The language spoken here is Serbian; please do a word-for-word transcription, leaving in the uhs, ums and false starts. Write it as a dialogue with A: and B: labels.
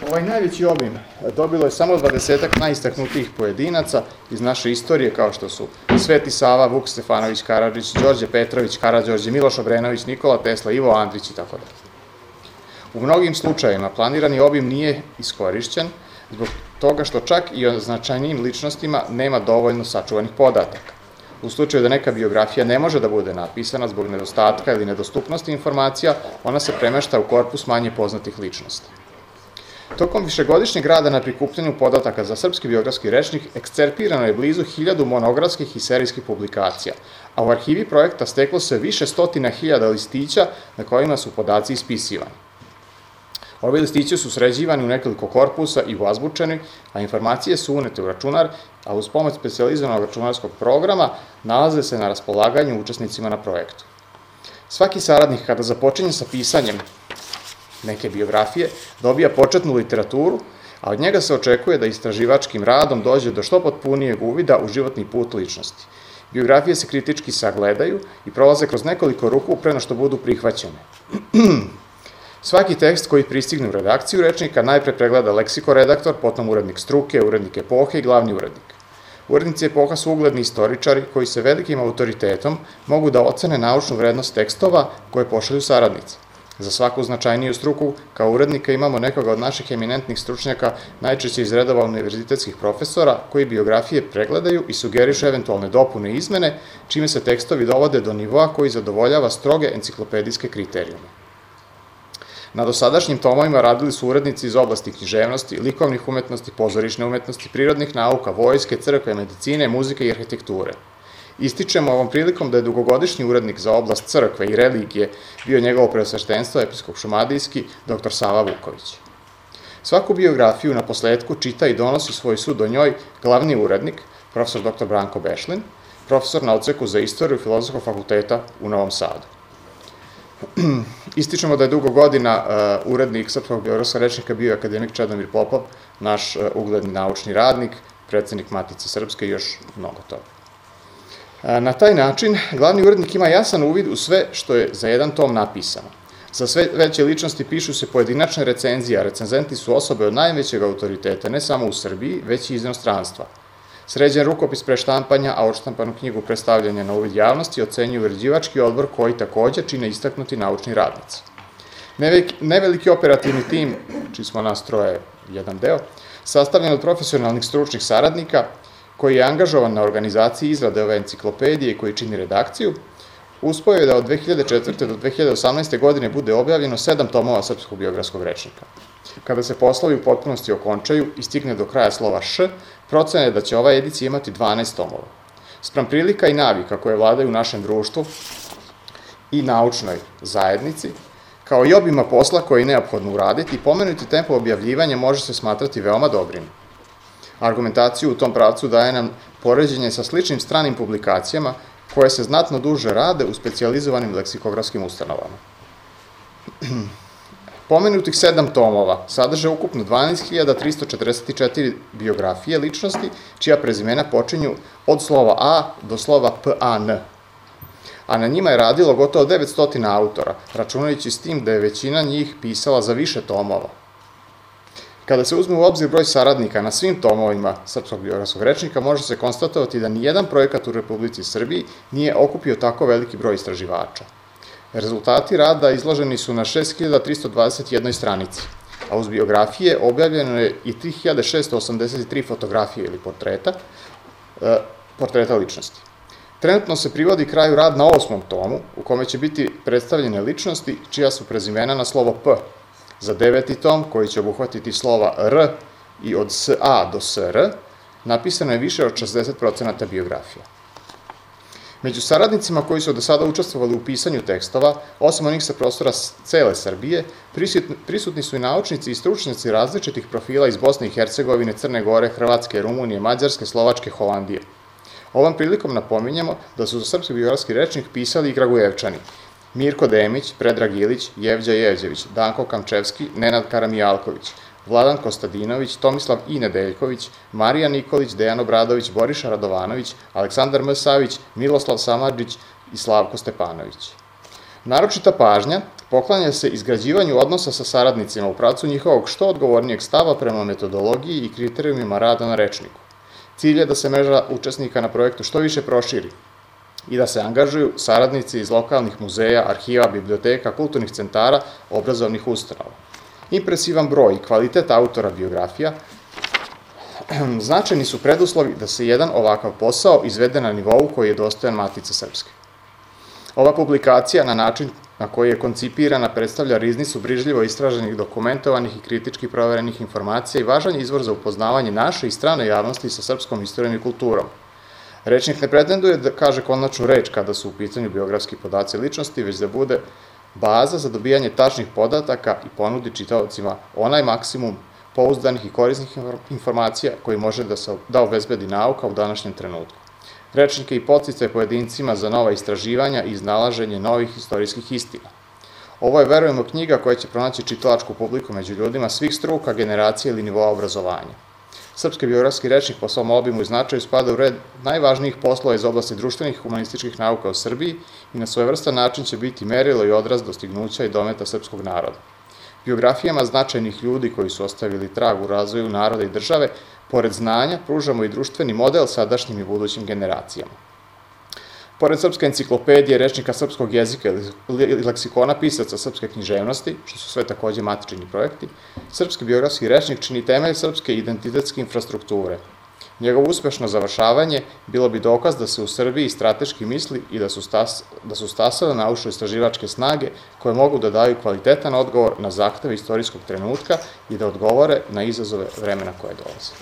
A: Ovaj najveći obim dobilo je samo dvadesetak najistaknutijih pojedinaca iz naše istorije, kao što su Sveti Sava, Vuk Stefanović Karadžić, Đorđe Petrović Karađorđe, Miloš Obrenović, Nikola Tesla, Ivo Andrić i tako dalje. U mnogim slučajevima planirani obim nije iskorišćen zbog toga što čak i o značajnijim ličnostima nema dovoljno sačuvanih podataka. U slučaju da neka biografija ne može da bude napisana zbog nedostatka ili nedostupnosti informacija, ona se premešta u korpus manje poznatih ličnosti. Tokom višegodišnjeg rada na prikupljanju podataka za srpski biografski rečnik ekscerpirano je blizu hiljadu monografskih i serijskih publikacija, a u arhivi projekta steklo se više stotina hiljada listića na kojima su podaci ispisivani. Ovi listići su sređivani u nekoliko korpusa i uazbučeni, a informacije su unete u računar, a uz pomoć specijalizovanog računarskog programa nalaze se na raspolaganju učesnicima na projektu. Svaki saradnik kada započinje sa pisanjem neke biografije dobija početnu literaturu, a od njega se očekuje da istraživačkim radom dođe do što potpunijeg uvida u životni put ličnosti. Biografije se kritički sagledaju i prolaze kroz nekoliko ruku pre nego što budu prihvaćene. Svaki tekst koji pristigne u redakciju rečnika najpre pregleda leksikoredaktor, potom urednik struke, urednik epohe i glavni urednik. Urednici epoha su ugledni istoričari koji se velikim autoritetom mogu da ocene naučnu vrednost tekstova koje pošalju saradnici. Za svaku značajniju struku, kao urednika imamo nekoga od naših eminentnih stručnjaka, najčešće iz redova univerzitetskih profesora, koji biografije pregledaju i sugerišu eventualne dopune i izmene, čime se tekstovi dovode do nivoa koji zadovoljava stroge enciklopedijske kriterijume. Na dosadašnjim tomovima radili su urednici iz oblasti književnosti, likovnih umetnosti, pozorišne umetnosti, prirodnih nauka, vojske, crkve, medicine, muzike i arhitekture. Ističemo ovom prilikom da je dugogodišnji urednik za oblast crkve i religije bio njegovo preosveštenstvo episkop šumadijski doktor Sava Vuković. Svaku biografiju na posledku čita i donosi svoj sud o njoj glavni urednik, profesor doktor Branko Bešlin, profesor na odseku za istoriju Filozofskog fakulteta u Novom Sadu. Ističemo da je dugo godina urednik srpskog biografskog rečnika bio akademik Čedomir Popov, naš ugledni naučni radnik, predsednik Matice Srpske i još mnogo toga. Na taj način, glavni urednik ima jasan uvid u sve što je za jedan tom napisano. Za sve veće ličnosti pišu se pojedinačne recenzije, a recenzenti su osobe od najvećeg autoriteta, ne samo u Srbiji, već i iz inostranstva. Sređen rukopis pre štampanja, a odštampanu knjigu predstavljanja na uvid javnosti ocenjuje uređivački odbor koji takođe čine istaknuti naučni radnici. Neveliki operativni tim, čiji smo nas troje jedan deo, sastavljen od profesionalnih stručnih saradnika, koji je angažovan na organizaciji izrade ove enciklopedije i koji čini redakciju, uspeo je da od dve hiljade četvrte do dve hiljade osamnaeste. godine bude objavljeno sedam tomova srpskog biografskog rečnika. Kada se poslovi u potpunosti okončaju i stigne do kraja slova Š, procena je da će ova edicija imati dvanaest tomova. Spram prilika i navika koje vladaju u našem društvu i naučnoj zajednici, kao i obima posla koji je neophodno uraditi, pomenuti tempo objavljivanja može se smatrati veoma dobrim. Argumentaciju u tom pravcu daje nam poređenje sa sličnim stranim publikacijama koje se znatno duže rade u specijalizovanim leksikografskim ustanovama. Pomenutih sedam tomova sadrže ukupno dvanaest hiljada tristo četrdeset četiri biografije ličnosti, čija prezimena počinju od slova A do slova P A N. A na njima je radilo gotovo devetsto autora, računajući s tim da je većina njih pisala za više tomova. Kada se uzme u obzir broj saradnika na svim tomovima srpskog biografskog rečnika, može se konstatovati da nijedan projekat u Republici Srbiji nije okupio tako veliki broj istraživača. Rezultati rada izloženi su na šest hiljada tristo dvadeset jedna stranici, a uz biografije objavljeno je i tri hiljade šesto osamdeset tri fotografije ili portreta, portreta ličnosti. Trenutno se privodi kraju rad na osmom tomu, u kome će biti predstavljene ličnosti čija su prezimena na slovo P. Za deveti tom, koji će obuhvatiti slova R i od S A do S R, napisano je više od šezdeset procenata biografija. Među saradnicima koji su do sada učestvovali u pisanju tekstova, osim onih sa prostora cele Srbije, prisutni su i naučnici i stručnjaci različitih profila iz Bosne i Hercegovine, Crne Gore, Hrvatske, Rumunije, Mađarske, Slovačke, Holandije. Ovom prilikom napominjemo da su za srpski biografski rečnik pisali i Kragujevčani: Mirko Demić, Predrag Ilić, Jevđa Jevđević, Danko Kamčevski, Nenad Karamijalković, Vladan Kostadinović, Tomislav I. Nedeljković, Marija Nikolić, Dejan Obradović, Boriša Radovanović, Aleksandar M. Savić, Miloslav Samardžić i Slavko Stepanović. Naročita pažnja poklanja se izgrađivanju odnosa sa saradnicima u pravcu njihovog što odgovornijeg stava prema metodologiji i kriterijumima rada na rečniku. Cilj je da se mreža učesnika na projektu što više proširi i da se angažuju saradnici iz lokalnih muzeja, arhiva, biblioteka, kulturnih centara, obrazovnih ustanova. Impresivan broj i kvalitet autora biografija značajni su preduslovi da se jedan ovakav posao izvede na nivou koji je dostojan Matice Srpske. Ova publikacija na način na koji je koncipirana predstavlja riznicu brižljivo istraženih, dokumentovanih i kritički proverenih informacija i važan je izvor za upoznavanje naše i strane javnosti sa srpskom istorijom i kulturom. Rečnik ne pretenduje da kaže konačnu reč kada su u pitanju biografski podaci ličnosti, već da bude baza za dobijanje tačnih podataka i ponudi čitaocima onaj maksimum pouzdanih i korisnih informacija koji može da obezbedi nauka u današnjem trenutku. Rečnik je i podsticaj pojedincima za nova istraživanja i iznalaženje novih istorijskih istina. Ovo je, verujemo, knjiga koja će pronaći čitalačku publiku među ljudima svih struka, generacija ili nivoa obrazovanja. Srpski biografski rečnik po svom obimu i značaju spada u red najvažnijih poslova iz oblasti društvenih i humanističkih nauka u Srbiji i na svojevrstan način će biti merilo i odraz dostignuća i dometa srpskog naroda. Biografijama značajnih ljudi koji su ostavili trag u razvoju naroda i države, pored znanja, pružamo i društveni model sadašnjim i budućim generacijama. Pored Srpske enciklopedije, rečnika srpskog jezika i leksikona pisaca srpske književnosti, što su sve takođe matični projekti, Srpski biografski rečnik čini temelj srpske identitetske infrastrukture. Njegovo uspešno završavanje bilo bi dokaz da se u Srbiji strateški misli i da su stasale naučno-istraživačke snage koje mogu da daju kvalitetan odgovor na zahteve istorijskog trenutka i da odgovore na izazove vremena koje dolaze.